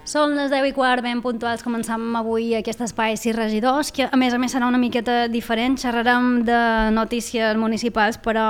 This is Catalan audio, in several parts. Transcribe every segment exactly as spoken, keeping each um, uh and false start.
Són les deu i quart, ben puntuals, començam avui aquest espai sis regidors, que a més a més serà una miqueta diferent. Xerrarem de notícies municipals, però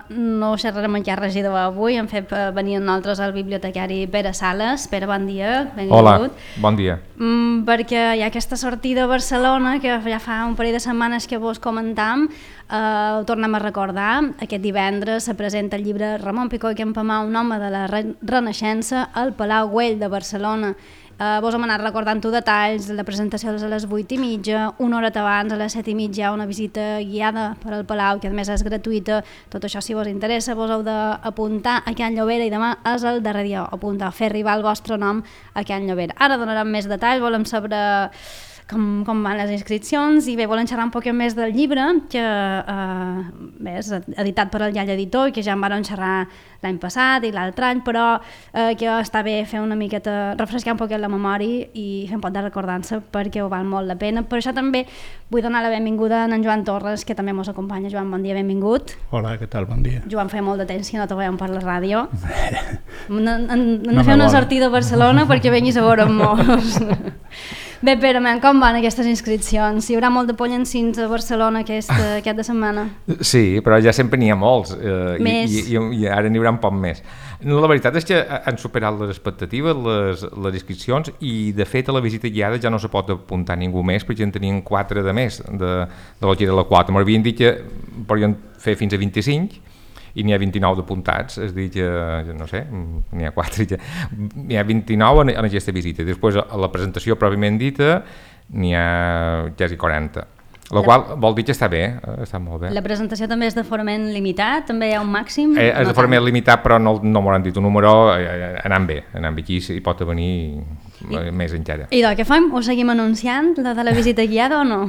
no xerrarem amb cap regidor avui. Hem fet venir amb nosaltres el bibliotecari Pere Sales. Pere, bon dia. Benvingut. Hola, bon dia. Mm, perquè hi ha aquesta sortida a Barcelona, que ja fa un parell de setmanes que vos comentam, eh, ho tornem a recordar. Aquest divendres se presenta el llibre Ramon Picó i Campamà, un home de la re Renaixença, al Palau Güell de Barcelona. Uh, vos hem anat recordant-ho detalls. La presentació és a les vuit i mitja, una hora abans, a les set i mitja, hi ha una visita guiada per al Palau, que a més és gratuïta. Tot això, si vos interessa, vos heu d'apuntar a Can Llobera i demà és el darrer dia. Apuntar, fer arribar el vostre nom a Can Llobera. Ara donarem més detalls, volem saber com, com van les inscripcions i bé, volem xerrar un poc més del llibre, que eh, bé, és editat per el Llall Editor i que ja en van xerrar l'any passat i l'altre any, però eh, que està bé fer una miqueta, refrescar un poc la memòria i fer un poc de recordança perquè ho val molt la pena. Per això també vull donar la benvinguda a en Joan Torres, que també ens acompanya. Joan, bon dia, benvingut. Hola, què tal? Bon dia. Joan, feia molt de temps que no te veiem per la ràdio. Hem de no fer una sortida a Barcelona perquè venguis a veure'm molts. Bé, Pere, com van aquestes inscripcions? Hi haurà molt de pollancins a Barcelona aquesta, aquesta setmana? Sí, però ja sempre n'hi ha molts. Eh, més. I, i, I ara n'hi haurà un poc més. La veritat és que han superat les expectatives, les, les inscripcions, i de fet a la visita guiada ja no se pot apuntar ningú més, perquè en tenien quatre de més de, de lo que era la quota. M'havien dit que podien fer fins a vint-i-cinc, i n'hi ha vint-i-nou d'apuntats, és a dir que, no sé, n'hi ha quatre, n'hi ha vint-i-nou en, en aquesta visita. Després, a la presentació pròpiament dita, n'hi ha quasi quaranta, la qual vol dir que està bé, està molt bé. La presentació també és de forament limitat? També hi ha un màxim? Eh, és no de forament limitat, però no, no m'ho han dit un número, eh, anant bé, anant bé, aquí hi pot venir I, més encara. I doncs què fem? Ho seguim anunciant, la de la visita guiada o no?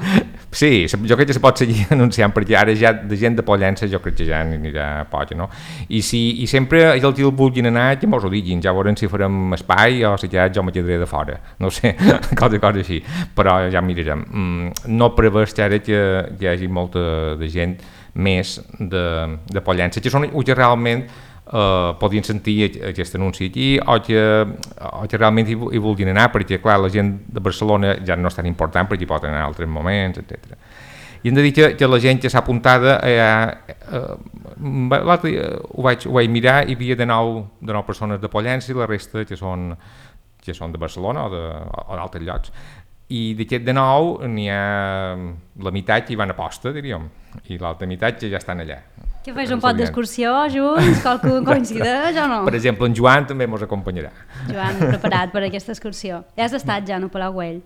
Sí, jo crec que se pot seguir anunciant, perquè ara ja de gent de Pollença jo crec que ja anirà poc, no? I, si, i sempre els que el vulguin anar, que mos ho diguin, ja veurem si farem espai o si ja jo me quedaré de fora, no sé, cosa, cosa així, però ja mirarem. Mm, no prevés ara que hi hagi molta de gent més de, de Pollença, que són els que realment Uh, podien sentir aquest anunci aquí o que, o que realment hi, hi vulguin anar, perquè clar, la gent de Barcelona ja no és tan important perquè hi pot anar en altres moments, etcètera. I hem de dir que, que la gent que s'ha apuntada eh, eh, l'altre dia ho vaig, ho vaig mirar, hi havia de nou, de nou persones de Pollença i la resta que són, que són de Barcelona o d'altres llocs. I d'aquest de nou n'hi ha la meitat que hi van a posta, diríem, i l'altra meitat que ja estan allà. Que fes un pot d'excursió junts, qualcú coincideix o no? Per exemple, en Joan també ens acompanyarà. Joan, preparat per aquesta excursió. Ja has estat ja no Palau Güell?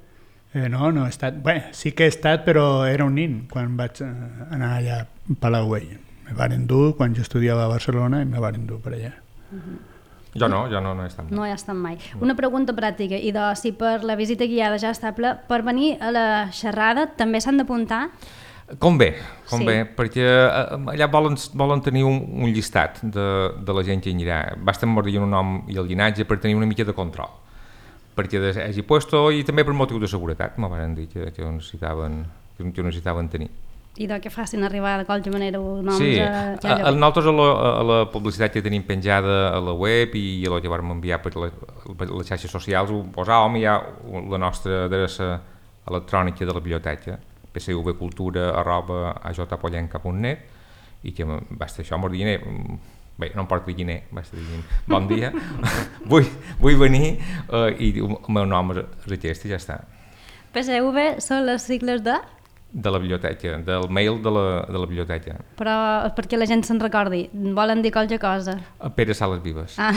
Eh, no, no he estat. Bé, sí que he estat, però era un nin quan vaig anar allà a Palau Güell. Me van endur quan jo estudiava a Barcelona i me van endur per allà. Uh-huh. Jo no, jo no, no he estat mai. No he estat mai. Una pregunta pràctica, i de, si per la visita guiada ja està ple, per venir a la xerrada també s'han d'apuntar? Com bé, com sí. bé, perquè allà volen, volen tenir un, un llistat de, de la gent que hi anirà. Basta dir un nom i el llinatge per tenir una mica de control, perquè hagi puesto, i també per motiu de seguretat, m'ho van dir que, que, ho necessitaven, que ho necessitaven tenir. I de què facin arribar de qualsevol manera noms sí. a... a, a nosaltres a la, a la publicitat que tenim penjada a la web i a la que vam enviar per, la, per les xarxes socials ho posàvem, hi ha la nostra adreça electrònica de la biblioteca, p c v cultura arroba a j pollenca punt net, i que va estar això, m'ho dient, bé, no em porto guiner, va estar dient, bon dia, vull, vull venir, uh, i el meu nom és aquest i ja està. P C V són les sigles de? De la biblioteca, del mail de la, de la biblioteca. Però perquè la gent se'n recordi, volen dir qualque cosa? Pere Sales Vives. Ah.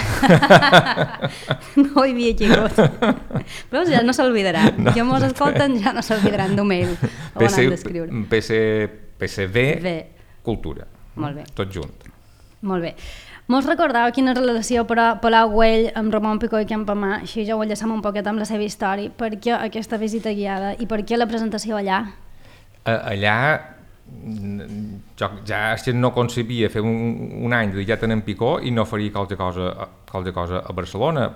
No ho havia lligut. Però ja no s'oblidarà. No, jo mos escolten, ja no s'oblidaran d'un mail on han d'escriure. P C V Cultura. Molt bé. Tot junt. Molt bé. Mos recordeu quina relació però Palau Güell amb Ramon Picó i Campamà, així ja ho enllaçam un poquet amb la seva història, per què aquesta visita guiada i per què la presentació allà? Allà jo ja no concebia fer un, un any dedicat a en Picó i no faria qualque cosa, qualque cosa a Barcelona,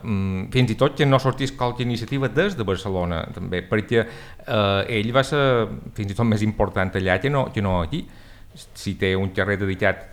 fins i tot que no sortís qualque iniciativa des de Barcelona també, perquè eh, ell va ser fins i tot més important allà que no, que no aquí. Si té un carrer dedicat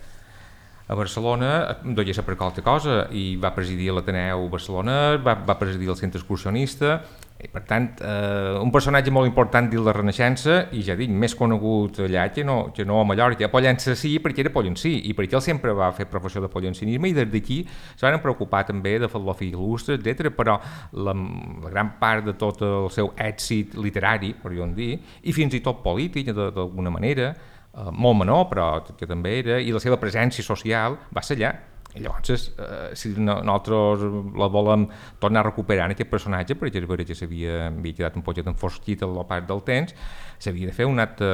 a Barcelona, devia ser per qualque cosa, i va presidir l'Ateneu Barcelona, va, va presidir el Centre Excursionista, i per tant, eh, un personatge molt important dins la Renaixença, i ja dic, més conegut allà que no, que no a Mallorca. A Pollença sí, perquè era pollencí, i perquè ell sempre va fer professió de pollencinisme, i des d'aquí se van preocupar també de fer-lo fill il·lustre, etcètera. Però la, la gran part de tot el seu èxit literari, podríem dir, i fins i tot polític, d'alguna manera, Uh, molt menor, però que també era, i la seva presència social va ser allà. I llavors, uh, si no, nosaltres la volem tornar a recuperar en aquest personatge, perquè és veritat que s'havia quedat un poquet enfosquit a la part del temps, s'havia de fer un acte,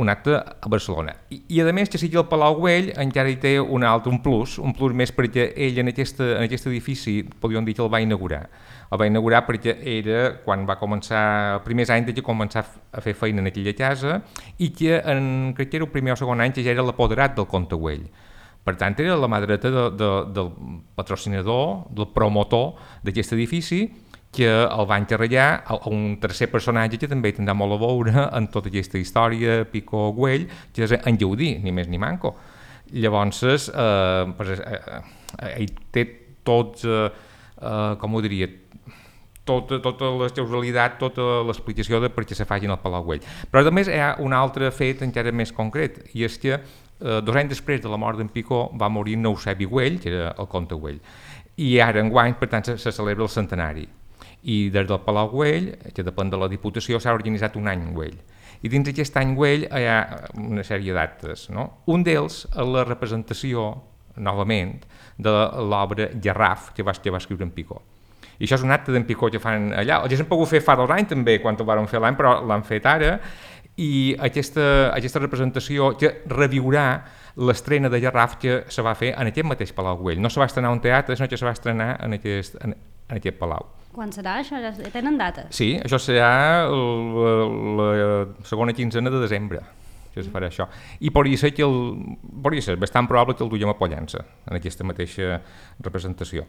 un acte a Barcelona. I, i a més, que sigui el Palau Güell, encara hi té un altre, un plus, un plus més perquè ell en, aquesta, en aquest edifici, podríem dir que el va inaugurar. El va inaugurar perquè era quan va començar, els primers anys que començar a fer feina en aquella casa, i que en, crec que era el primer o segon any que ja era l'apoderat del Comte Güell. Per tant, era la mà dreta de, de, del patrocinador, del promotor d'aquest edifici, que el va encarregar a un tercer personatge que també tindrà molt a veure en tota aquesta història Picó-Güell, que és en Gaudí, ni més ni manco. Llavors, eh, pues, eh, eh, ell té tots, eh, eh, com ho diria, tota, tota la causalitat, tota l'explicació de per què se facin el Palau Güell. Però a més hi ha un altre fet encara més concret, i és que eh, dos anys després de la mort d'en Picó va morir Eusebi Güell, que era el comte Güell, i ara enguany, per tant, se, se celebra el centenari. I des del Palau Güell, que depèn de la Diputació, s'ha organitzat un any Güell. I dins d'aquest any Güell hi ha una sèrie d'actes, no? Un d'ells és la representació, novament, de l'obra Garraf, que va, que va escriure en Picó. I això és un acte d'en Picó que fan allà. El que s'han pogut fer fa dos anys també, quan ho van fer l'any, però l'han fet ara, i aquesta, aquesta representació que reviurà l'estrena de Garraf que se va fer en aquest mateix Palau Güell. No se va estrenar un teatre, sinó que se va estrenar en aquest, en, en aquest palau. Quan serà això? Ja tenen dates? Sí, això serà la, la segona quinzena de desembre. Que es farà això. I podria ser que el, podria ser bastant probable que el duiem a Pollença, en aquesta mateixa representació.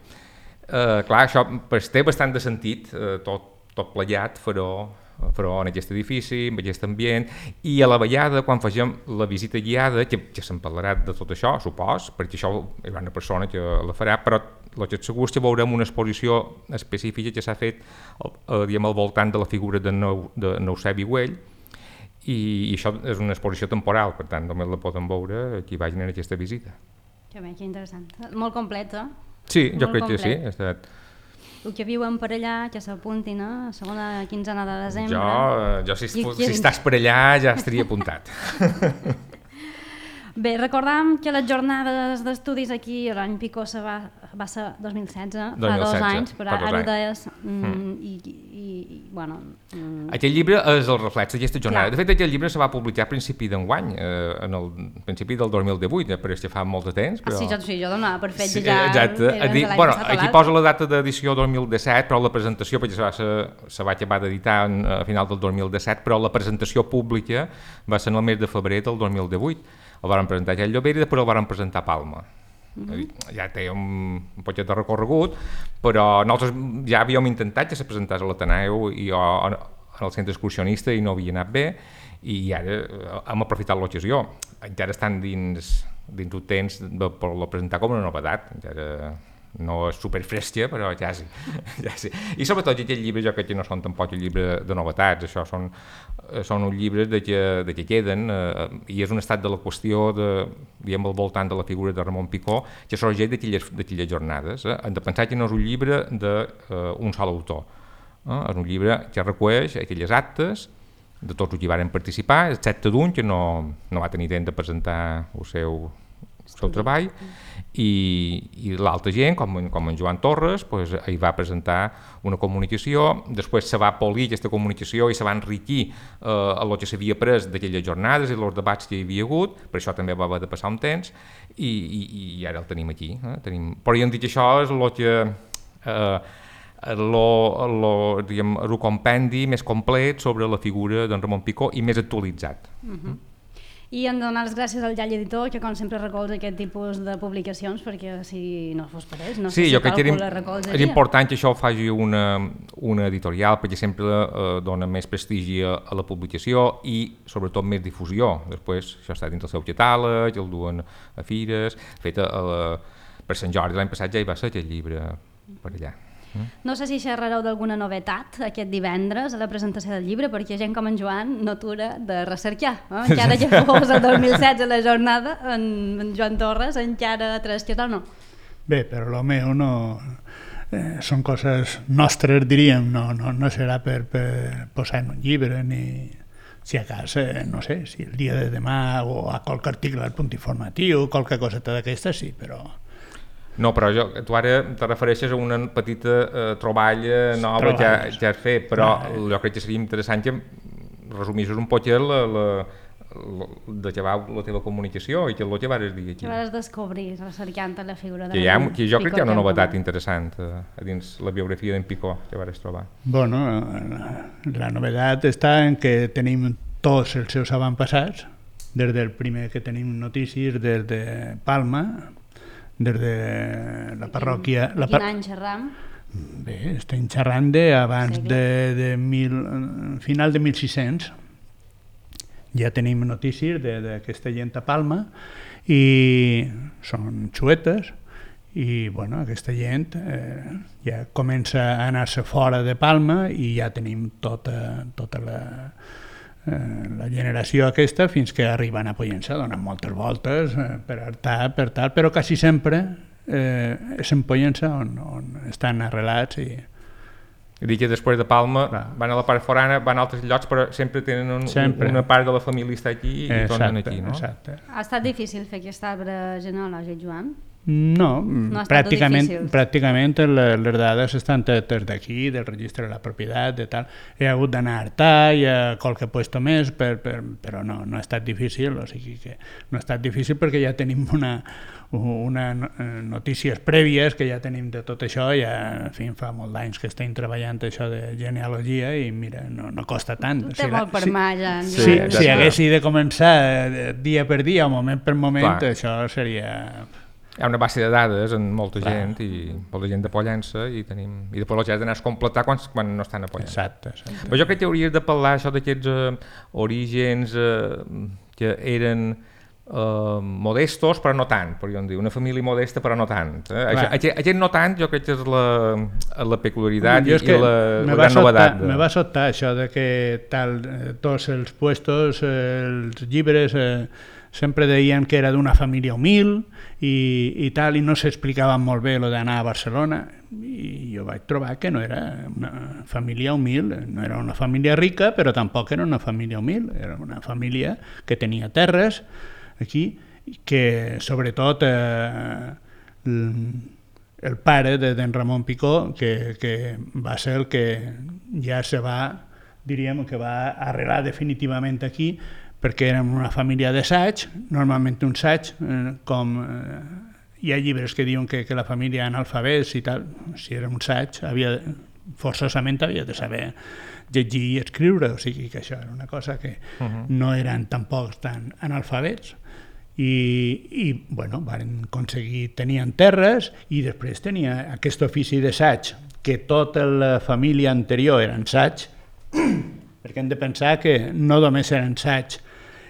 Uh, clar, això pues, té bastant de sentit, uh, tot, tot plegat, però, però en aquest edifici, en aquest ambient, i a la vegada, quan fagem la visita guiada, que, que se'n parlarà de tot això, supos, perquè això hi ha una persona que la farà, però el que és segur és que veurem una exposició específica que s'ha fet uh, diguem, al voltant de la figura de, nou, de Eusebi Güell, i, i això és una exposició temporal, per tant, només la poden veure qui vagin en aquesta visita. Que bé, que interessant. Molt complet, eh? Sí, jo molt crec complet. que sí. Ha estat... El que viuen per allà, que s'apuntin, eh? Segona quinzena de desembre. Jo, jo si, si estàs per allà ja estaria apuntat. Bé, recordam que les jornades d'estudis aquí, l'any Picó se va, va ser dos mil setze, fa dos anys, però ara ho deies, mm, i, i, i, bueno... Mm. Aquest llibre és el reflex d'aquesta jornada. Clar. De fet, aquest llibre se va publicar a principi d'enguany, eh, en el principi del dos mil divuit, eh, però és que fa molt de temps. Però... Ah, sí, jo, sí, jo donava per fet sí, ja... Exacte. Dir, bueno, aquí passat, posa la data d'edició dos mil disset, però la presentació, perquè se va, se, se va acabar d'editar a final del dos mil disset, però la presentació pública va ser en el mes de febrer del dos mil divuit. El van presentar a Llobera i després el van presentar a Palma. Mm-hmm. Ja té un, un poquet de recorregut, però nosaltres ja havíem intentat que se presentés a l'Ateneu i jo en el centre excursionista i no havia anat bé, i ara hem aprofitat l'ocasió. Encara estan dins, dins un temps de poder presentar com una novetat, encara no és superfresca, però ja sí, ja sí. I sobretot aquests llibres jo crec que no són tampoc llibres de novetats, això són, són uns llibres de que, de que queden, eh, i és un estat de la qüestió de, diguem, al voltant de la figura de Ramon Picó, que sorgeix d'aquelles jornades. Eh? Hem de pensar que no és un llibre d'un uh, sol autor, eh? És un llibre que recull aquelles actes de tots els que hi van participar, excepte d'un que no, no va tenir temps de presentar el seu el seu treball, i, i l'altra gent, com, com en Joan Torres, pues, hi va presentar una comunicació, després se va polir aquesta comunicació i se va enriquir eh, el que s'havia pres d'aquelles jornades i els debats que hi havia hagut, per això també va haver de passar un temps, i, i, i ara el tenim aquí. Eh? Tenim... Però ja hem dit que això és el que... Eh, el compendi més complet sobre la figura d'en Ramon Picó i més actualitzat. Uh-huh. I hem de donar les gràcies al Llall Editor, que com sempre recolza aquest tipus de publicacions, perquè si no fos per ells, no sí, sé si càlcul la recolzaria. És important que això ho faci una, una editorial, perquè sempre eh, dona més prestigi a, a la publicació i sobretot més difusió. Després això està dins del seu catàleg, el duen a fires, fet a, a la, per Sant Jordi l'any passat ja hi va ser aquest llibre per allà. No sé si xerrareu d'alguna novetat aquest divendres a la presentació del llibre, perquè gent com en Joan no atura de recercar. Eh? Encara que fos el dos mil setze la jornada, en, en Joan Torres encara tres que tal no. Bé, però el meu no... Eh, són coses nostres, diríem, no, no, no serà per, per posar en un llibre, ni si a casa, eh, no sé, si el dia de demà o a qualque article al Punt Informatiu, qualque coseta d'aquesta, sí, però... No, però jo, tu ara te refereixes a una petita eh, troballa nova que, que has fet, però ah, jo crec que seria interessant que resumissis un poc la, la, la, de què va la teva comunicació i que el que vas dir aquí. Que vas descobrir, recercant la figura de que, ha, que jo crec que hi ha una novetat interessant eh, a dins la biografia d'en Picó que vas trobar. Bueno, la, la novetat està en que tenim tots els seus avantpassats, des del primer que tenim notícies, des de Palma, des de la parròquia... Quin, quin any xerram? Bé, estem xerrant d'abans de, de mil, final de mil sis-cents. Ja tenim notícies d'aquesta gent a Palma i són xuetes i bueno, aquesta gent eh, ja comença a anar-se fora de Palma i ja tenim tota, tota la... la generació aquesta fins que arriben a Pollença, donen moltes voltes eh, per hartar, per tal, però quasi sempre eh, és en Pollença on, on estan arrelats i... I dic que després de Palma clar, van a la part forana, van a altres llocs, però sempre tenen un, sempre. una part de la família està aquí i exacte, tornen aquí, no? Exacte. Ha estat difícil fer aquest arbre genealògic, Joan? No, no pràcticament, pràcticament les dades estan totes d'aquí, del registre de la propietat, de tal. He hagut d'anar a Artà i a qualque puesto més, per, per, però no, no ha estat difícil, o sigui que no ha estat difícil perquè ja tenim una, una notícies prèvies que ja tenim de tot això, ja en fi, fa molt d'anys que estem treballant això de genealogia i mira, no, no costa tant. Tu té si molt la, per si, mà ja. Sí, sí, ja si haguessi de començar dia per dia o moment per moment, clar, això seria... Hi ha una base de dades en molta clar, gent i molta gent de Pollença i tenim i després els has d'anar a completar quan, quan no estan a Pollença. Exacte, exacte. Però jo crec que hauries de parlar això d'aquests eh, orígens eh, que eren eh, modestos però no tant, podríem dir, una família modesta però no tant. Eh? Això, aquest, aquest no tant jo crec que és la, la peculiaritat i, i la, la gran novetat. Me va sobtar això de que tal, tots els puestos, els llibres... Eh, sempre deien que era d'una família humil i, i tal, i no s'explicava molt bé lo d'anar a Barcelona, i jo vaig trobar que no era una família humil, no era una família rica, però tampoc era una família humil, era una família que tenia terres aquí, que sobretot eh, el pare d'en Ramon Picó, que, que va ser el que ja se va, diríem, que va arrelar definitivament aquí, perquè érem una família d'assaig, normalment un assaig, eh, com eh, hi ha llibres que diuen que, que la família analfabets i tal, si era un assaig, havia, forçosament havia de saber llegir i escriure, o sigui que això era una cosa que uh-huh. no eren tampoc tan analfabets, i, i bueno, van aconseguir, tenien terres, i després tenia aquest ofici d'assaig, que tota la família anterior era assaig, perquè hem de pensar que no només eren assaig,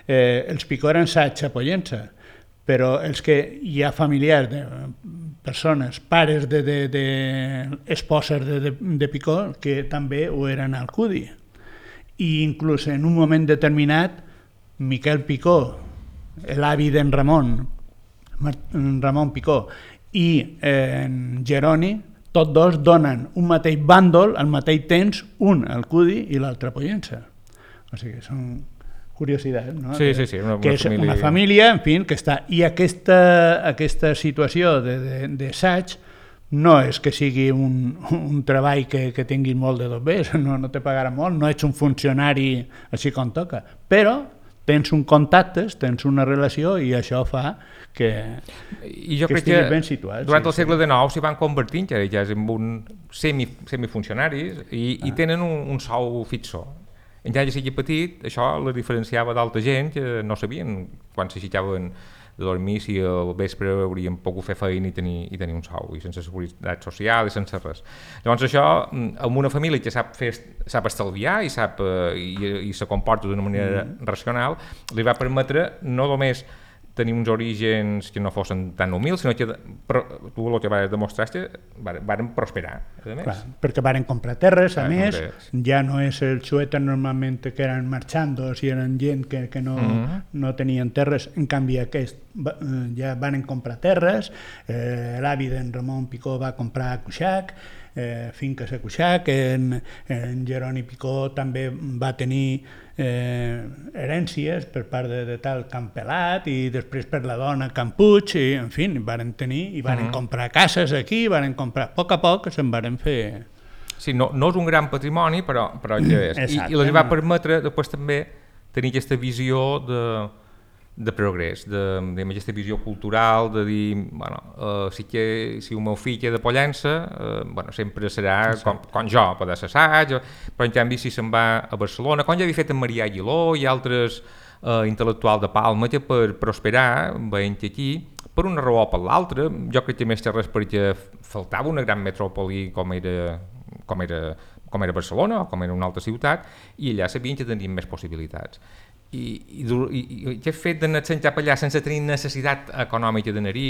Eh, els Picó eren assaig a Pollença, però els que hi ha familiars de persones, pares de, de, de esposes de, de, de Picó, que també ho eren al Cudi. I inclús en un moment determinat, Miquel Picó, l'avi d'en Ramon, Ramon Picó, i eh, en Jeroni, tots dos donen un mateix bàndol al mateix temps, un al Cudi i l'altre a Pollença. O sigui, són curiositat, no? Sí, sí, sí, una, una que és família... una família, en fi, que està... I aquesta, aquesta situació d'assaig no és que sigui un, un treball que, que tingui molt de dobbers, no, no te pagarà molt, no ets un funcionari així com toca, però tens un contactes, tens una relació i això fa que, I jo que crec estiguis que ben situat. Durant sí, el segle sí. dinou s'hi van convertint ja, ja en un semi, semifuncionaris i, ah. i tenen un, un sou fixo. Encara que sigui petit, això la diferenciava d'altra gent que no sabien quan s'aixecaven de dormir si al vespre haurien pogut fer feina i tenir, i tenir un sou, i sense seguretat social i sense res. Llavors això, amb una família que sap, fer, sap estalviar i, sap, eh, i, i se comporta d'una manera mm. racional, li va permetre no només tenir uns orígens que no fossin tan humils, sinó que però, tu el que vas demostrar és que varen prosperar. A més. Clar, perquè varen comprar terres, a Clar, més, compres. ja no és el xueta normalment que eren marxandos i eren gent que, que no, mm-hmm. no tenien terres, en canvi aquest ja varen comprar terres, eh, l'avi d'en Ramon Picó va comprar a Cuixac, eh, finques a Cuixac, en, en Jeroni Picó també va tenir eh, herències per part de, de tal Campelat i després per la dona Campuig, i en fi, varen tenir i varen uh-huh. comprar cases aquí, varen comprar a poc a poc, se'n varen fer... Sí, no, no és un gran patrimoni, però, però ja és. Exacte, I, i els va permetre després també tenir aquesta visió de, de progrés, de, de aquesta visió cultural, de dir, bueno, uh, sí que si el meu fill és de Pollença, uh, bueno, sempre serà com, com jo, poder ser assaig, però en canvi si se'n va a Barcelona, com ja havia fet en Marià Aguiló i altres uh, intel·lectuals de Palma, que per prosperar, veient aquí, per una raó o per l'altra, jo crec que més que res perquè faltava una gran metròpoli com era, com era, com era Barcelona o com era una altra ciutat, i allà sabien que tenien més possibilitats. I, i, i, i aquest fet d'anar cap allà sense tenir necessitat econòmica d'anar-hi,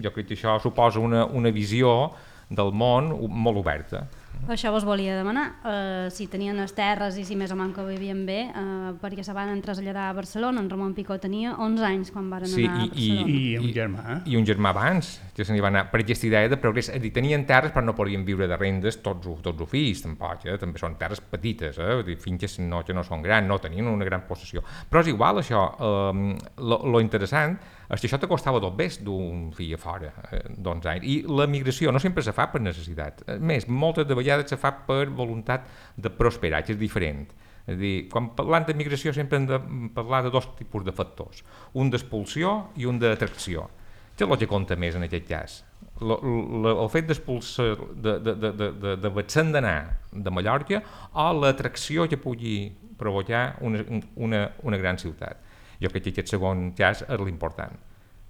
jo crec que això suposa una, una visió del món molt oberta. Això vos volia demanar, uh, si tenien les terres i si més o menys que ho vivien bé, uh, perquè se van traslladar a Barcelona. En Ramon Picó tenia onze anys quan van sí, anar a Barcelona. I, i un germà. Eh? I un germà abans, que se n'hi va anar per aquesta idea de progrés. És dir, tenien terres però no podien viure de rendes tots, tots els fills, tampoc, eh? També són terres petites, eh? Dir, finques no, que no són grans, no tenien una gran possessió. Però és igual això, eh, lo, lo interessant és que això te costava dos bes d'un fill a fora eh, d'onze anys. I la migració no sempre se fa per necessitat. A més, moltes de vegades se fa per voluntat de prosperar, que és diferent. És a dir, quan parlant de migració sempre hem de parlar de dos tipus de factors, un d'expulsió i un d'atracció. Què és el que compta més en aquest cas? Lo, lo, el fet d'expulsar, de, de, de, de, de, de Batxan d'anar de Mallorca o l'atracció que pugui provocar una, una, una gran ciutat. Jo crec que aquest segon cas és l'important.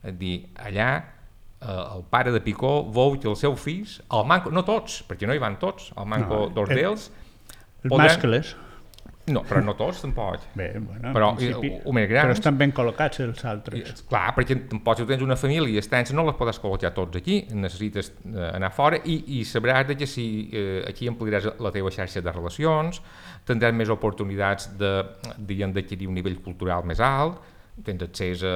És a dir, allà eh, el pare de Picó veu que els seus fills, el manco, no tots, perquè no hi van tots, el manco no, dos d'ells... Els mascles. No, però no tots, tampoc. Bé, bueno, però, principi, o més grans, però estan ben col·locats els altres. I, clar, perquè tampoc si tens una família extensa no les pots col·locar tots aquí, necessites eh, anar fora i, i sabràs que si eh, aquí ampliaràs la teva xarxa de relacions, tindràs més oportunitats de, diguem, d'adquirir un nivell cultural més alt, tens accés a,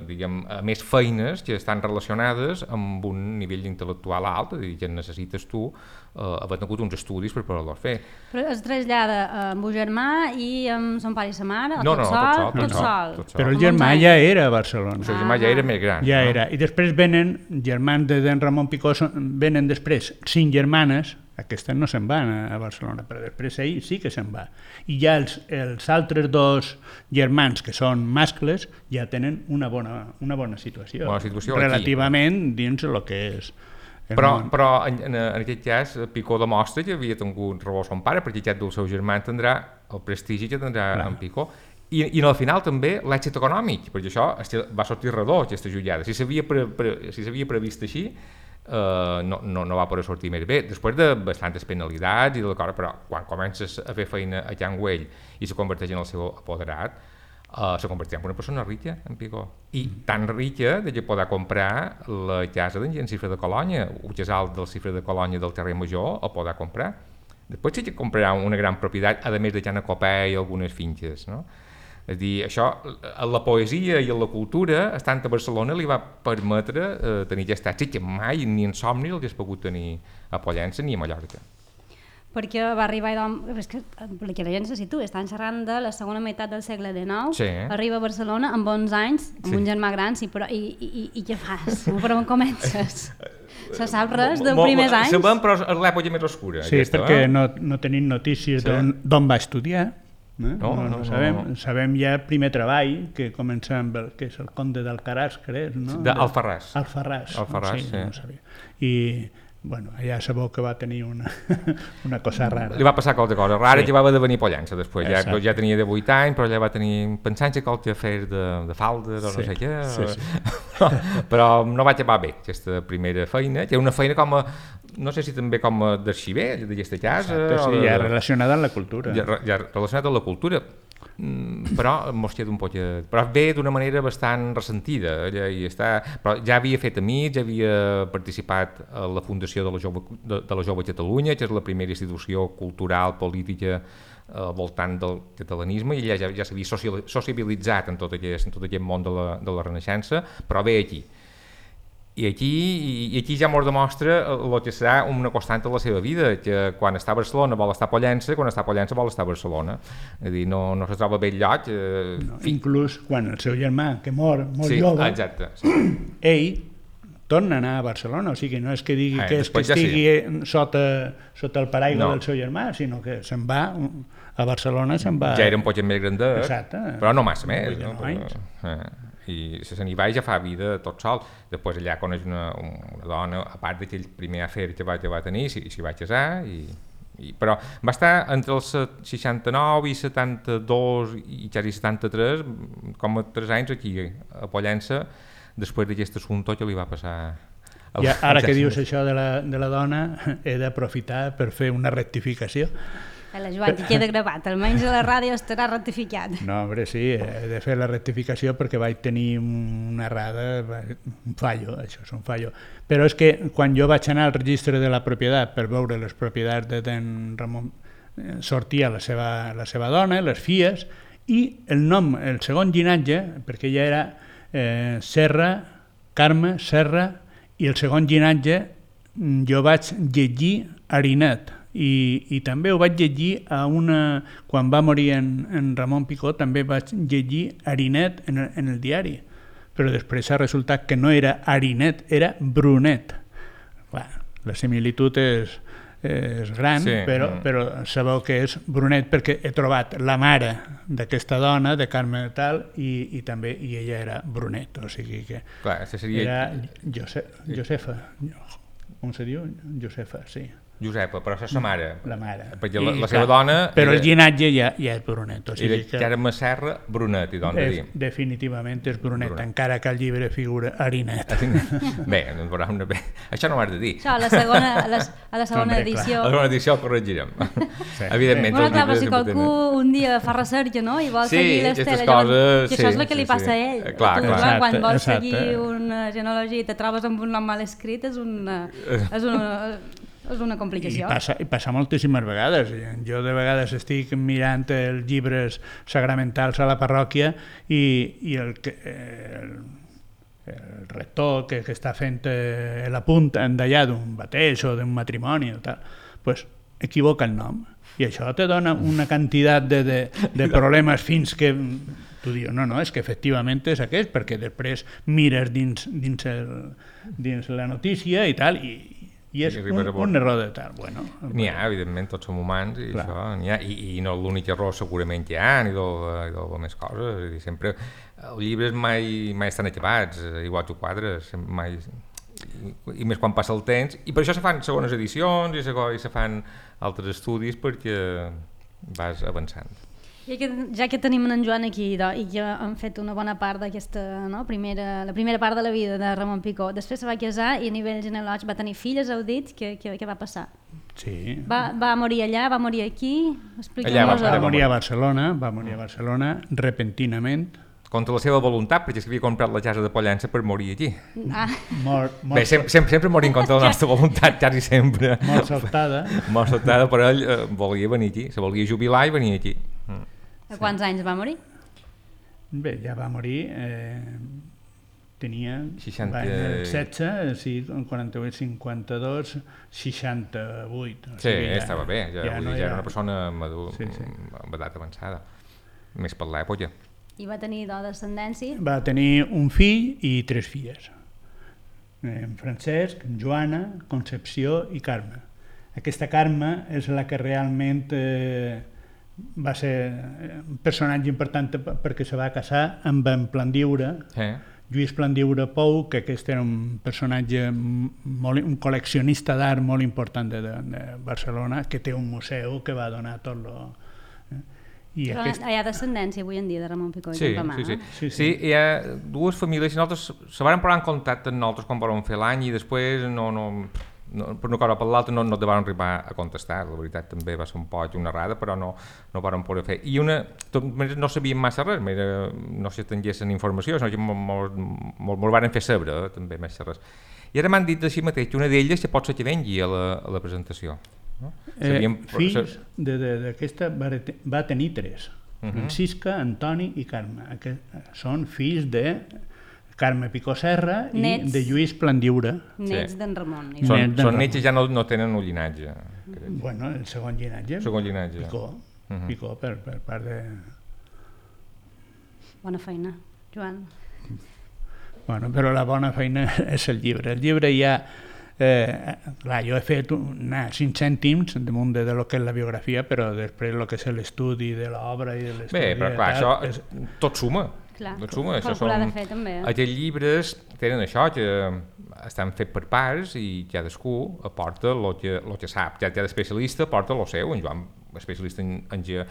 diguem, a més feines que estan relacionades amb un nivell intel·lectual alt, és a dir, que necessites tu eh, haver tingut uns estudis per poder-los fer. Però es trasllada amb un germà i amb son pare i sa mare, o no, tot, no, sol, tot, sol, tot, tot, sol, sol, tot sol. Però el germà ja era a Barcelona. El seu germà ja era més gran. Ja no? era. I després venen, germans de d'en Ramon Picó, venen després cinc germanes, aquestes no se'n van a Barcelona, però després ell sí que se'n va. I ja els, els altres dos germans, que són mascles, ja tenen una bona, una bona situació. Bona situació relativament aquí, dins el que és el però, món. però en, en, en aquest cas Picó demostra que havia tingut raó son pare, perquè aquest del seu germà tindrà el prestigi que tindrà Clar. en Picó. I, i al final també l'èxit econòmic, perquè això va sortir redó, aquesta jugada. Si s'havia pre, pre, si s'havia previst així, Uh, no, no, no va poder sortir més bé, després de bastantes penalitats i de l'acord, però quan comences a fer feina a Can Güell i se converteix en el seu apoderat, uh, se converteix en una persona rica, en Picó, i tan rica de que podrà comprar la casa d'en Cifre de Colònia, un casal del Cifre de Colònia del Carrer Major, el podrà comprar. Després sí que comprarà una gran propietat, a més de Can Copè i algunes finques, no? És a dir, això, a la poesia i a la cultura, estant a Barcelona, li va permetre eh, tenir aquest èxit que mai ni en somni l'hagués pogut tenir a Pollença ni a Mallorca. perquè va arribar, és que, perquè la gent se situa, estan xerrant de la segona meitat del segle dinou, sí. arriba a Barcelona amb onze anys, amb sí. un germà gran, sí, però i, i, i què fas? Per on comences? Se sap res dels primers anys? Sabem, però és l'època més oscura. Sí, aquesta, perquè eh? no, no tenim notícies sí. d'on va estudiar. Eh? No, no, no, no, sabem, no. sabem ja el primer treball, que comença amb el, que és el conde d'Alcaràs, crec, no? D'Alfarràs. Alfarràs. Alfarràs, sí. sí. No sabia. I... Bueno, allà sabeu que va tenir una, una cosa rara. Li va passar qualque cosa rara, sí. ja va haver de venir Pollença després, ja, ja tenia divuit anys, però ja va tenir, pensant que qualque afer de, de falda, o sí. no sé què, sí, sí. però no va acabar bé aquesta primera feina, que era una feina com a, no sé si també com a d'arxiver d'aquesta casa. Exacte, sí, de, ja relacionada amb la cultura. Ja, ja relacionada amb la cultura. Mm, però mos queda un poc... Però ve d'una manera bastant ressentida. Ella hi està, però ja havia fet amics, ja havia participat a la fundació de la Jove, de, de la Jove Catalunya, que és la primera institució cultural, política al voltant del catalanisme, i ella ja, ja s'havia sociabilitzat en tot aquest, en tot aquest món de la, de la Renaixença, però ve aquí. I aquí, i aquí ja mos demostra el que serà una constant de la seva vida, que quan està a Barcelona vol estar a Pollença, quan està a Pollença vol estar a Barcelona. És a dir, no, no se troba bé el lloc. Eh... No, inclús quan el seu germà, que mor molt sí, jove, exacte, sí. ell torna a anar a Barcelona, o sigui, no és que digui eh, que, és que estigui ja sí. sota, sota el paraigua no. del seu germà, sinó que se'n va a Barcelona, se'n va... Ja era un poc més grandet, exacte, però no massa més. No? Però, eh. I se n'hi va i ja fa vida tot sol. Després allà coneix una, una dona, a part d'aquell primer afer que va, que va tenir, s'hi si va casar, i, i, però va estar entre els seixanta-nou i setanta-dos i quasi setanta-tres, com a tres anys aquí a Pollença, després d'aquest assumpte que li va passar. Ja, ara que dius això de la, de la dona, he d'aprofitar per fer una rectificació. La Joan, que queda gravat, almenys a la ràdio estarà rectificat. No, hombre, sí, he de fer la rectificació perquè vaig tenir una errada, un fallo, això és un fallo. Però és que quan jo vaig anar al registre de la propietat per veure les propietats de d'en Ramon, sortia la seva, la seva dona, les filles, i el nom, el segon llinatge, perquè ella era eh, Serra, Carme, Serra, i el segon llinatge jo vaig llegir Arinet. I, i també ho vaig llegir a una... Quan va morir en, en Ramon Picó també vaig llegir Arinet en el, en el diari, però després ha resultat que no era Arinet, era Brunet. Clar, la similitud és, és gran, sí. però, però sabeu que és Brunet perquè he trobat la mare d'aquesta dona, de Carme tal, i, i també i ella era Brunet, o sigui que clar, seria... era Jose, Josefa, com se diu? Josefa, sí. Josepa, però és la mare. La mare. Perquè la, la seva clar, dona... Però era, el llinatge ja, ja és Brunet. O sigui era Carme Serra Brunet, i doncs dir. Definitivament és Brunet, Brunet, encara que el llibre figura Arinet. Bé, no veurà una... Bé. Això no m'has de dir. Això, a la segona, a la, a la segona Hombre, edició... A la segona edició ho corregirem. Sí. Evidentment. Bueno, clar, però si qualcú un dia fa recerca, no?, i vol sí, seguir l'estela... Coses, que això sí, és el que li sí, passa sí. a ell. Clar, tu, clar. clar quan exacte, vols exacte. seguir una genealogia i te trobes amb un nom mal escrit, és una... És una és una complicació. I passa, i passa moltíssimes vegades. Jo de vegades estic mirant els llibres sagramentals a la parròquia i, i el, el, el rector que, que està fent eh, l'apunt d'allà d'un bateix o d'un matrimoni o tal, pues, equivoca el nom. I això te dona una quantitat de, de, de problemes fins que tu dius, no, no, és que efectivament és aquest, perquè després mires dins, dins, el, dins la notícia i tal, i i és un, un error de tal. Bueno, n'hi ha, evidentment, tots som humans i, això, n'hi ha, i, i no l'únic error segurament que hi ha, ni de més coses. I sempre, els llibres mai, mai estan acabats, igual que quadres, mai, i, i més quan passa el temps, i per això se fan segones edicions i se, i se fan altres estudis perquè vas avançant. I que, ja que tenim en Joan aquí do, i que han fet una bona part d'aquesta, no, primera, la primera part de la vida de Ramon Picó, després se va casar i a nivell genealògic va tenir filles, heu dit, què, què, què va passar? Sí. Va, va morir allà, va morir aquí? Allà va, va morir a Barcelona, va morir a Barcelona repentinament. Contra la seva voluntat, perquè havia comprat la casa de Pollença per morir aquí. Ah. Mor, mor, Bé, sempre, sempre, sempre morir en contra de la nostra voluntat, quasi sempre. Mort saltada. Mort saltada, però ell eh, volia venir aquí, se volia jubilar i venir aquí. A quants anys va morir? Bé, ja va morir... Eh, tenia seixanta... va, en el setze, sí, quaranta-vuit, cinquanta-dos, seixanta-vuit. O Sí, sigui, ja, estava bé, ja, ja, vull no dir, ja era era una persona madur, sí, sí. amb edat avançada, més per l'època. I va tenir do descendència? Va tenir un fill i tres filles. En Francesc, en Joana, Concepció i Carme. Aquesta Carme és la que realment eh, va ser un personatge important perquè se va casar amb en Plandiure, Eh? Lluís Plandiure Pou, que aquest era un personatge, molt, un col·leccionista d'art molt important de, de Barcelona, que té un museu que va donar tot lo... I Però aquest... hi ha descendència avui en dia de Ramon Picó i Sí, Campamà. sí, sí. Sí, Sí, sí. sí, hi ha dues famílies, nosaltres se van posar en contacte amb nosaltres quan vam fer l'any i després no, no, no, per una cosa o per l'altra no, no te van arribar a contestar. La veritat també va ser un poc una errada, però no, no van poder fer. I una, tot, no sabíem massa res, mira, no s'estenguessin informació, sinó que molt varen fer saber, eh, també massa res. I ara m'han dit així mateix que una d'elles que pot ser que vengui a la, a la presentació. No? Eh, Sabíem, fills d'aquesta va, va tenir tres, Uh-huh. Francisca, Antoni i Carme. Aquest, són fills de Carme Picó Serra i Nets. de Lluís Plandiure. Nets Sí. d'en Ramon. Net Són, d'en són Ramon. nets que ja no, no tenen un llinatge. crec. Bueno, el segon llinatge, Segon llinatge. Picó, Uh-huh. Picó per, per part de... Bona feina, Joan. Bueno, però la bona feina és el llibre. El llibre ja... Eh, clar, jo he fet una, cinc cèntims damunt de, de lo que és la biografia, però després el que és l'estudi de l'obra i de Bé, l'estudi... però clar, tal, això és... tot suma. Clar, Tot suma. Això calcular són... de fer també. Eh? Aquests llibres tenen això, que estan fets per parts i cadascú aporta el que, lo que sap. Ja cada especialista aporta el seu. En Joan, especialista en, en, ge,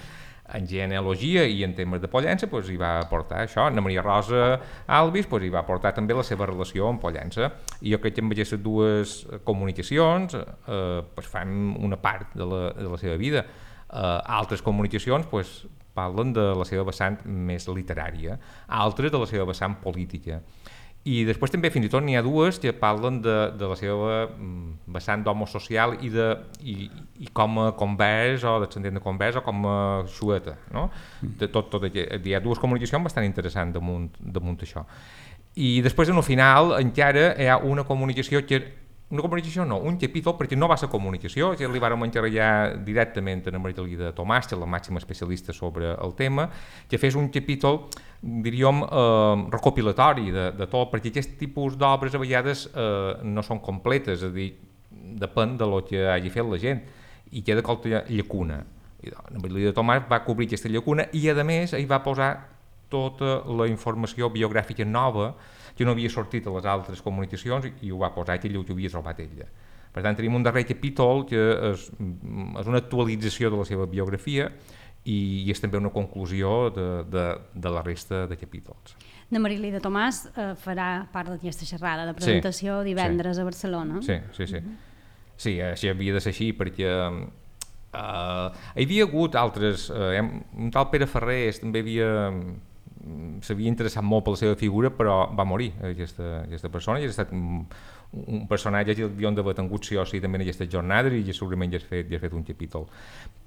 en genealogia i en temes de Pollença, doncs, hi va aportar això. Ana Maria Rosa Alvis doncs, hi va aportar també la seva relació amb Pollença. I jo crec que amb aquestes dues comunicacions eh, doncs, fan una part de la, de la seva vida. Eh, altres comunicacions doncs, parlen de la seva vessant més literària, altres de la seva vessant política. I després també fins i tot n'hi ha dues que parlen de, de la seva vessant d'homo social i, de, i, i com a convers o descendent de convers o com a xueta. No? De tot, tot, hi ha dues comunicacions bastant interessants damunt, damunt això. I després en el final encara hi ha una comunicació que una comunicació no, un capítol, perquè no va ser comunicació, ja li vàrem encarregar directament a Maria Tomàs, que és la màxima especialista sobre el tema, que fes un capítol, diríem, eh, recopilatori de, de tot, perquè aquest tipus d'obres a vegades eh, no són completes, és a dir, depèn de lo que hagi fet la gent, i queda qualque llacuna. I Maria Tomàs va cobrir aquesta llacuna i, a més, hi va posar tota la informació biogràfica nova que no havia sortit a les altres comunicacions i ho va posar ell, ho havia trobat ella. Per tant, tenim un darrer capítol que és, és una actualització de la seva biografia i, i és també una conclusió de, de, de la resta de capítols. Na Marilida Tomàs eh, farà part d'aquesta xerrada de presentació sí, divendres sí. a Barcelona. Sí, sí, sí. Sí, així havia de ser així perquè eh, hi havia hagut altres, eh, un tal Pere Ferrés també havia... s'havia interessat molt per la seva figura, però va morir aquesta, aquesta persona i ha estat un, un personatge que hauríem d'haver tingut sí o sí també en aquesta jornada i segurament ja has fet, ja has fet un capítol.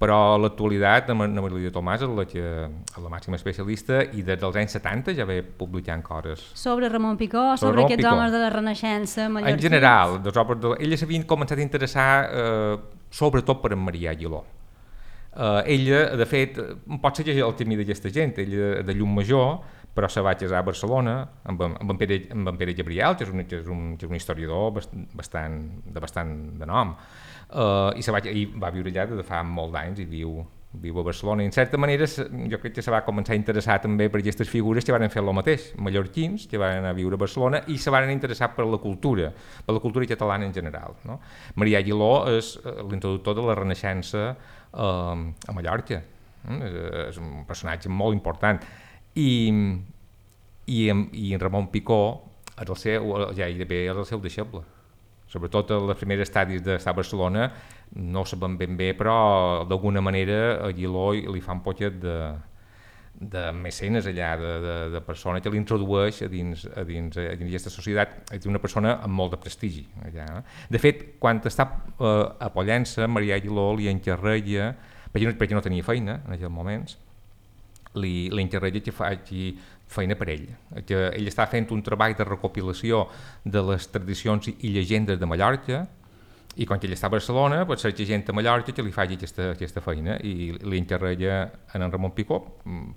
Però a l'actualitat, la Maria Tomàs és la, que, la màxima especialista i des dels anys setanta ja ve publicant coses. Sobre Ramon Picó, sobre, sobre aquests Picó. homes de la Renaixença mallorquins? En general, dels obres de... ella s'havia començat a interessar eh, sobretot per en Marià Aguiló. Uh, ella, de fet, pot ser que el camí d'aquesta gent, ella de Llum Major, però se va casar a Barcelona amb, amb, en, Pere, amb en Pere Gabriel, que és un, que és un, que és un historiador bastant, de bastant de nom, uh, i, se va, i va viure allà de fa molt d'anys i viu, viu a Barcelona. I en certa manera jo crec que se va començar a interessar també per aquestes figures que van fer el mateix, mallorquins, que van anar a viure a Barcelona i se van interessar per la cultura, per la cultura catalana en general. No? Marià Aguiló és l'introductor de la Renaixença Uh, a Mallorca, mm? és, és un personatge molt important i, i, en, i en Ramon Picó és el seu, ja gairebé és el seu deixeble, sobretot en les primeres estadis d'estar a Barcelona no ho sabem ben bé, però d'alguna manera a Aguiló li fa un poquet de, de mecenes allà, de, de, de persona que l'introdueix a dins, a dins, a dins aquesta societat, és una persona amb molt de prestigi allà. De fet, quan està eh, a Pollença, Marià Aguiló li encarrega, perquè no, perquè no tenia feina en aquells moments, li, li interessa que faci feina per ell. Que ell està fent un treball de recopilació de les tradicions i llegendes de Mallorca, i quan ell està a Barcelona, pues, cerca gent a Mallorca que li faci aquesta, aquesta feina, i li interessa en en Ramon Picó,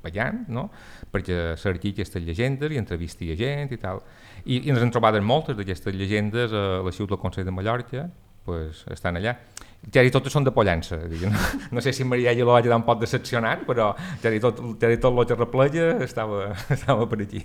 ballant, no? Perquè cerqui aquestes llegendes i entrevisti a gent i tal. I, i ens hem trobat moltes d'aquestes llegendes a l'Arxiu del Consell de Mallorca, pues, estan allà. Ja i totes són de Pollença. No, no sé si Maria Aguiló va quedar un poc decepcionat, però ja i tot, ja i tot el que repleia estava, estava per aquí.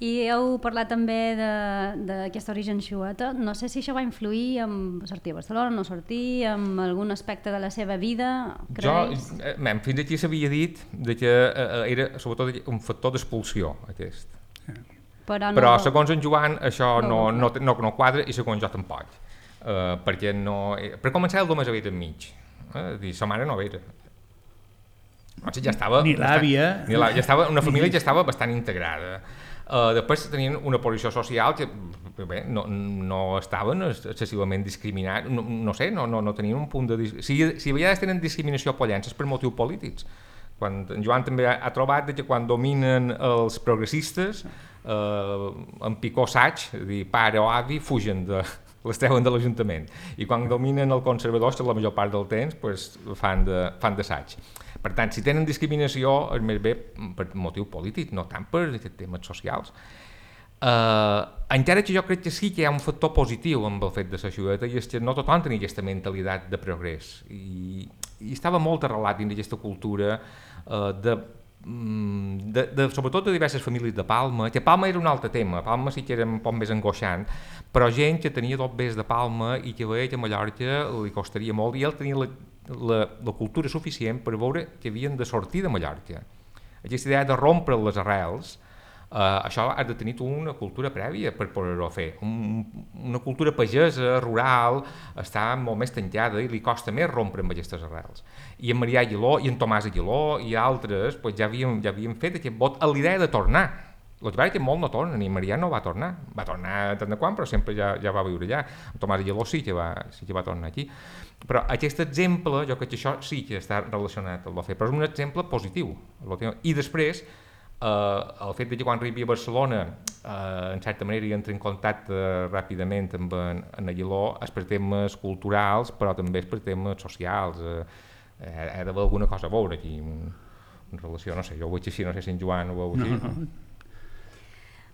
I heu parlat també d'aquest origen xueta. No sé si això va influir en sortir a Barcelona, no sortir, en algun aspecte de la seva vida, creus? Jo, eh, man, fins aquí s'havia dit de que eh, era sobretot un factor d'expulsió, aquest. Però, no Però vol... segons en Joan això no, no, no, no, no quadra i segons jo tampoc. Uh, perquè no... Per començar, el només havia enmig. Eh? Dir, sa mare no era. O sigui, ja estava... Ni l'àvia. Ni la, ja estava, una família ja estava bastant integrada. Uh, després tenien una posició social que bé, no, no estaven excessivament discriminats, no, no sé, no, no, no tenien un punt de... Si, si a vegades tenen discriminació a Pollença és per motius polítics. Quan en Joan també ha, ha trobat que quan dominen els progressistes, uh, en Picó saig, dir pare o avi, fugen de... les treuen de l'Ajuntament, i quan dominen els conservadors, la major part del temps, pues, fan de, fan d'assaig. Per tant, si tenen discriminació, és més bé per motiu polític, no tant per temes socials. Uh, encara que jo crec que sí que hi ha un factor positiu amb el fet de la xueta, i és que no tothom tenia aquesta mentalitat de progrés, i, i estava molt arrelat dins d'aquesta cultura uh, de De, de, sobretot de diverses famílies de Palma, que Palma era un altre tema, Palma sí que era un poc més angoixant, però gent que tenia dos bés de Palma i que veia que a Mallorca li costaria molt, i ell tenia la, la, la cultura suficient per veure que havien de sortir de Mallorca. Aquesta idea de rompre les arrels, Uh, això has de tenir tu una cultura prèvia per poder-ho fer. Un, una cultura pagesa, rural, està molt més tancada i li costa més rompre amb aquestes arrels. I en Marià Aguiló i en Tomàs Aguiló i altres pues, ja, havien, ja havien fet aquest vot a l'idea de tornar. El que va que molt no torna, ni Marià no va tornar. Va tornar tant de quan, però sempre ja, ja va viure allà. En Tomàs Aguiló sí que, va, sí que va tornar aquí. Però aquest exemple, jo crec que això sí que està relacionat amb el fet, però és un exemple positiu. I després, Uh, el fet de que quan arribi a Barcelona uh, en certa manera hi entra en contacte ràpidament amb en, en Aguiló és per temes culturals però també és per temes socials, uh, ha d'haver alguna cosa a veure aquí en, en relació, no sé, jo ho veig així, no sé si en Joan ho veu així. No, no.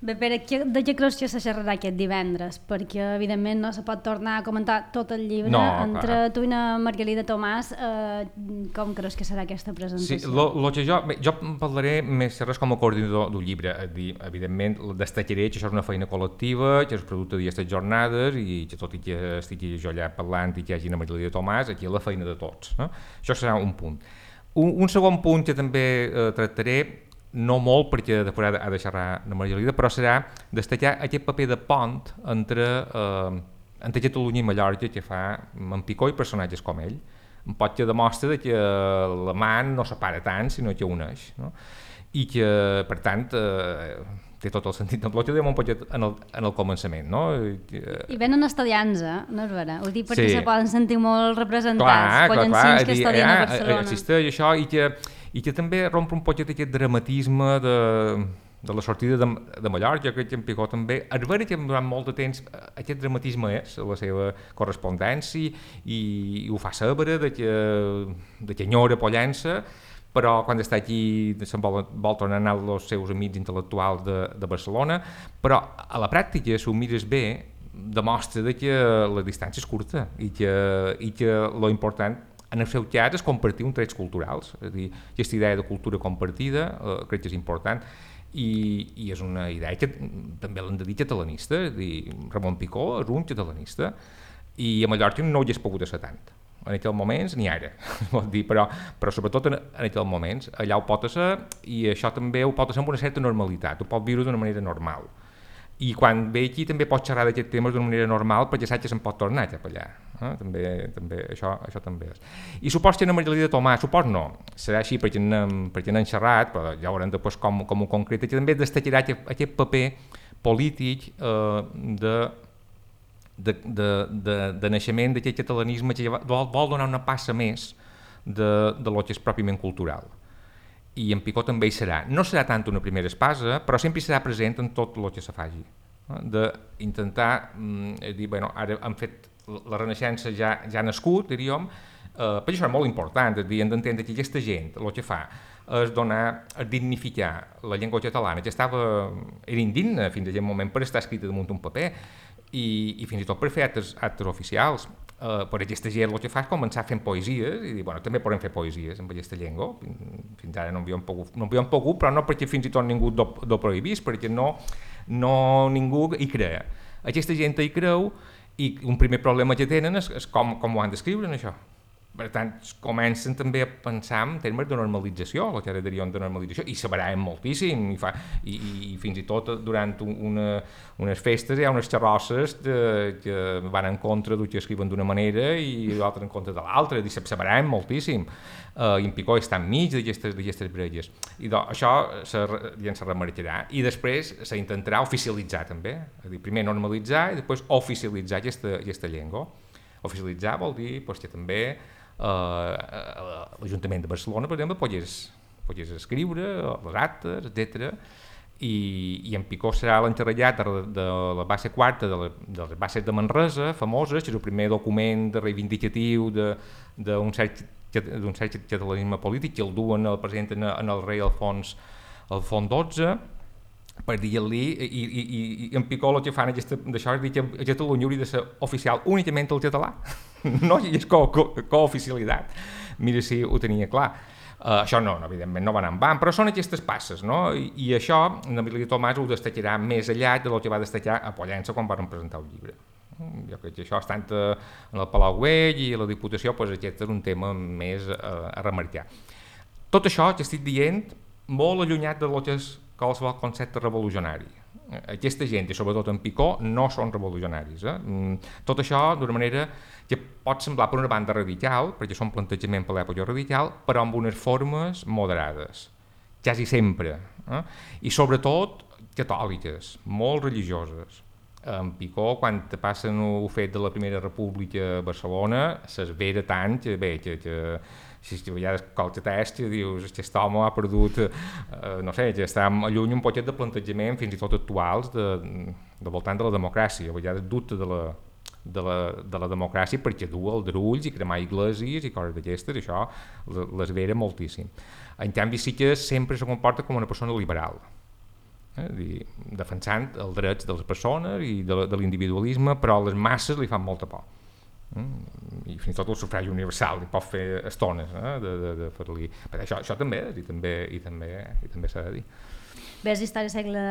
Bé, Pere, de què creus que se xerrarà aquest divendres? Perquè, evidentment, no se pot tornar a comentar tot el llibre. No, entre clar. tu i na Margalida Tomàs, eh, com creus que serà aquesta presentació? Sí, lo, lo que jo, bé, jo parlaré més res com a coordinador del llibre. Dir, evidentment, destacaré que això és una feina col·lectiva, que és producte d'aquestes jornades i que tot i que estigui jo allà parlant i que hi hagi na Margalida Tomàs, aquí és la feina de tots. No? Això serà un punt. Un, un segon punt que també eh, tractaré, no molt perquè després ha de xerrar la Margalida, però serà destacar aquest paper de pont entre, eh, entre Catalunya i Mallorca que fa en Picó i personatges com ell. Un pot que demostra que la man no separa tant, sinó que uneix. No? I que, per tant, eh, té tot el sentit del bloc, ho dèiem un poc en el, en el començament. No? I, I venen estudiants, eh? No és vera? Ho dic perquè sí. Se poden sentir molt representats, clar, pollancins clar, que dir, estudien ja, a Barcelona. Existeix això i que, i que també romp un poc aquest dramatisme de, de la sortida de, de Mallorca. Jo crec que en Picó també, és vera que durant molt de temps aquest dramatisme és la seva correspondència i, i ho fa saber de que, de que enyora Pollença, però quan està aquí se'n vol, vol tornar a anar als seus amics intel·lectuals de, de Barcelona, però a la pràctica, si ho mires bé, demostra de que la distància és curta i que, i que lo important en el seu cas és compartir uns trets culturals, és a dir, aquesta idea de cultura compartida eh, crec que és important i, i és una idea que també l'han de dir catalanista, és a dir, Ramon Picó és un catalanista i a Mallorca no hi has pogut ser tant. En aquells moments ni ara, vol dir, però, però sobretot en, en aquells moments, allà ho pot ser i això també ho pot ser amb una certa normalitat, ho pot viure d'una manera normal. I quan ve aquí també pot xerrar d'aquests temes d'una manera normal perquè saps que se'n pot tornar cap allà. Eh? També, també, això, això també és. I supos que en Margalida Tomàs, supos no, serà així perquè n'hem, perquè n'hem xerrat, però ja veurem després com, com ho concreta, que també destacarà aquest, aquest paper polític eh, de De, de, de, de naixement d'aquest catalanisme que vol, vol donar una passa més de, de lo que és pròpiament cultural. i en Picó també hi serà. No serà tant una primera espasa, però sempre hi serà present en tot el que se faci. D'intentar eh, dir, bueno, ara han fet la Renaixença ja, ja ha nascut, diríem, eh, per això és molt important, és dir, hem d'entendre que aquesta gent el que fa és donar, és dignificar la llengua catalana, que estava, era indigna fins a aquest moment per estar escrita damunt un paper, i, i fins i tot per fer actes, actes oficials. Uh, per aquesta gent el que fa és començar fent poesies i dir, bueno, també podem fer poesies amb aquesta llengua. Fins ara no havíem pogut, no havíem pogut, però no perquè fins i tot ningú do, do prohibís, perquè no, no ningú hi crea. Aquesta gent hi creu i un primer problema que tenen és, és com, com ho han d'escriure en això. Per tant, comencen també a pensar en termes de normalització, el que ara diríem de normalització, i se baraen moltíssim, i, fa, i, i fins i tot durant una, unes festes hi ha unes xarrosses de, que van en contra del que escriuen d'una manera i l'altre en contra de l'altra, i se, se baraen moltíssim, uh, i en Picó està enmig d'aquestes brelles. I doncs, això se, ja se remarcarà, i després s'intentarà oficialitzar també, és a dir, primer normalitzar i després oficialitzar aquesta, aquesta llengua. Oficialitzar vol dir pues, que també Uh, l'Ajuntament de Barcelona, per exemple, pogués, pogués escriure les actes, etcètera. I, i en Picó serà l'encarregat de, de la base quarta de, la, de les bases de Manresa, famoses, que és el primer document de reivindicatiu d'un cert, cert catalanisme polític, que el duen, el presenten en el rei Alfons, Alfons dotze, per dir-li, i, i, i, i en Picó el que fan d'això és dir que a Catalunya hauria de ser oficial únicament el català. No, i és cooficialitat. Mira si ho tenia clar. Uh, això no, no, evidentment no va anar en van, però són aquestes passes, no? I, i això, en Emili Tomàs ho destacarà més allà del que va destacar a Pollença quan van presentar el llibre. Jo crec que això, estant en el Palau Güell i a la Diputació, doncs aquest és un tema més uh, a remarcar. Tot això que estic dient, molt allunyat de lo que és qualsevol concepte revolucionari. Aquesta gent, i sobretot en Picó, no són revolucionaris. Eh? Tot això d'una manera que pot semblar per una banda radical, perquè són plantejament per l'època radical, però amb unes formes moderades, quasi sempre. Eh? I sobretot catòliques, molt religioses. En Picó, quan passen el fet de la Primera República a Barcelona, s'esvera tant que, bé, que, que si a vegades qualque test que dius que aquest home ha perdut, eh, no sé, que està lluny un poquet de plantejament fins i tot actuals de, de voltant de la democràcia, a vegades dubte de la, de la, de la democràcia perquè du els drulls i cremar iglesis i coses d'aquestes, això l'esvera moltíssim. En canvi sí que sempre se comporta com una persona liberal, eh, dir, defensant els drets de les persones i de, de l'individualisme, però a les masses li fan molta por. Mm, i fins i tot el sufragi universal i pot fer estones eh, de, de, de fer-li però això, això també i també, i també, i també s'ha de dir. Ves història segle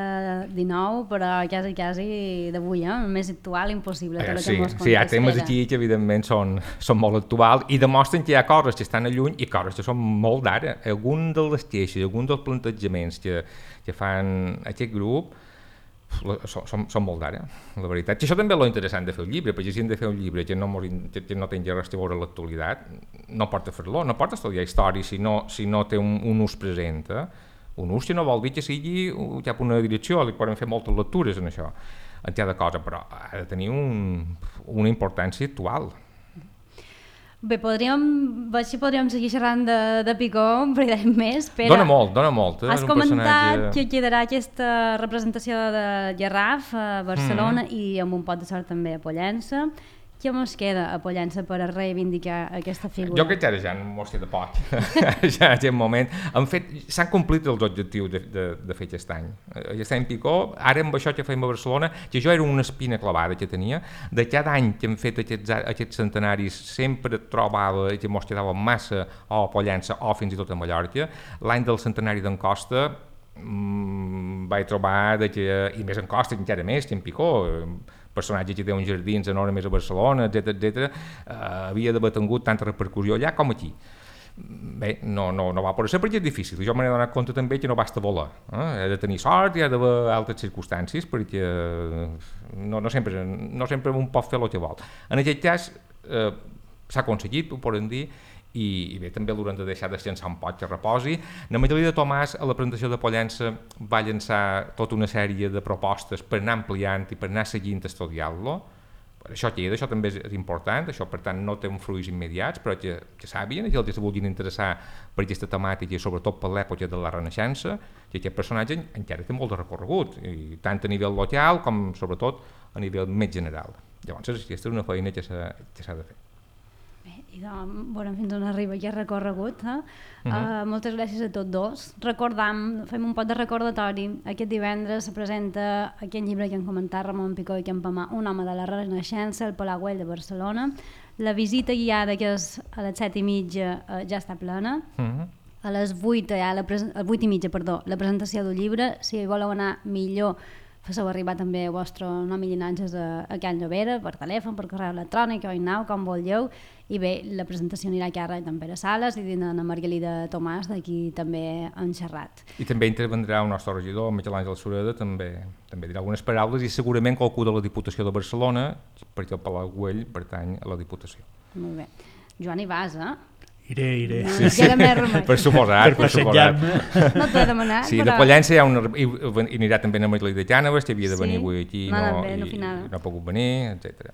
dinou, però quasi, quasi d'avui, eh? Més actual, impossible. Eh, sí, sí, hi ha temes aquí que evidentment són, són molt actuals i demostren que hi ha coses que estan a lluny i coses que són molt d'ara. Algun de les queixes, algun dels plantejaments que, que fan aquest grup Són, són, són molt d'ara, la veritat. I això també és lo interessant de fer un llibre, perquè si hem de fer un llibre que no, que no tingui res a veure amb l'actualitat, no porta a fer-lo, no porta a estudiar història si no, si no té un, un ús present. Eh? Un ús que no vol dir que sigui cap una direcció, li poden fer moltes lectures en això, en cada cosa, però ha de tenir un, una importància actual. Bé, podríem, així podríem seguir xerrant de, de Picó un parell d'anys més. Però dona molt, dona molt. Eh? Has comentat personatge... que quedarà aquesta representació de Garraf a Barcelona mm-hmm. i amb un pot de sort també a Pollença. Què mos queda a Pollença per a reivindicar aquesta figura? Jo crec que ara ja no mos queda poc. Ja en aquest moment. Han fet, s'han complit els objectius de, de, de fer aquest any. Aquest any Picó, ara amb això que fem a Barcelona, que jo era una espina clavada que tenia, de cada any que hem fet aquests, aquests centenaris sempre trobava que mos quedava massa o a Pollença o fins i tot a Mallorca. L'any del centenari d'en Costa mmm, vaig trobar de que, i més en Costa encara més que en Picó, personatge que té uns jardins enormes a Barcelona, etcètera, etcètera, eh, havia d'haver tingut tanta repercussió allà com aquí. Bé, no, no, no va poder ser perquè és difícil. Jo m'he donat compte també que no basta voler. Eh? He de tenir sort i ha d'haver altres circumstàncies perquè no, no, sempre, no sempre un pot fer el que vol. En aquest cas eh, s'ha aconseguit, ho podem dir, i, i bé, també l'haurem de deixar descansar un poc que reposi. En Emili de Tomàs, a la presentació de Pollença, va llançar tota una sèrie de propostes per anar ampliant i per anar seguint estudiant-lo. això queda, això també és important, això per tant no té uns fruits immediats, però que, que sàpien, que els que se vulguin interessar per aquesta temàtica i sobretot per l'època de la Renaixença, que aquest personatge encara té molt de recorregut, i tant a nivell local com sobretot a nivell més general. Llavors aquesta és una feina que s'ha de fer. Bé, i doncs, veurem fins on arriba aquest recorregut. Eh? Uh -huh. uh, moltes gràcies a tots dos. Recordam, fem un pot de recordatori. Aquest divendres se presenta aquest llibre que han comentat Ramon Picó i Campamà, Un home de la Renaixença, al Palau Güell de Barcelona. La visita guiada, que és a les set i mitja, uh, ja està plena. Uh -huh. A les vuit, ja, la pres- a les vuit i mitja, perdó, la presentació del llibre. Si voleu anar millor, feu arribar també el vostre nom i llinatges a, a Can Llobera, per telèfon, per correu electrònic, o in-now, com vulgueu. I bé, la presentació anirà a càrrec d'en Pere Sales i d'en Margalida Tomàs, d'aquí també han xerrat. I també intervendrà el nostre regidor, Miquel Àngel Sureda, també, també dirà algunes paraules, i segurament qualcú de la Diputació de Barcelona, perquè el Palau Güell pertany a la Diputació. Molt bé. Joan, hi vas, eh? Iré, iré. No, sí, sí. Per suposar, per passejar-me. No t'ho he demanat, sí, però... de Pollença hi ha una... I, i anirà també a Margalida de Cànoves, que havia de venir sí? avui aquí, no, no, bé, no, i, i no ha pogut venir, etcètera.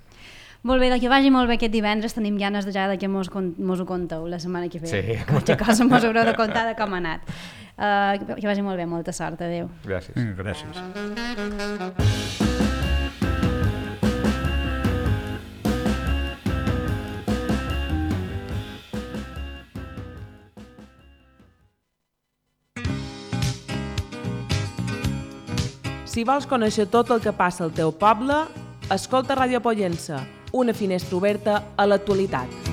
Molt bé, que vagi molt bé aquest divendres. Tenim ganes de ja de que mos, mos ho conteu la setmana que ve. Sí. Qualque cosa mos haureu de contar de com ha anat. Uh, que vagi molt bé, molta sort, adeu. Gràcies. Gràcies. Si vols conèixer tot el que passa al teu poble, escolta Ràdio Pollença, una finestra oberta a l'actualitat.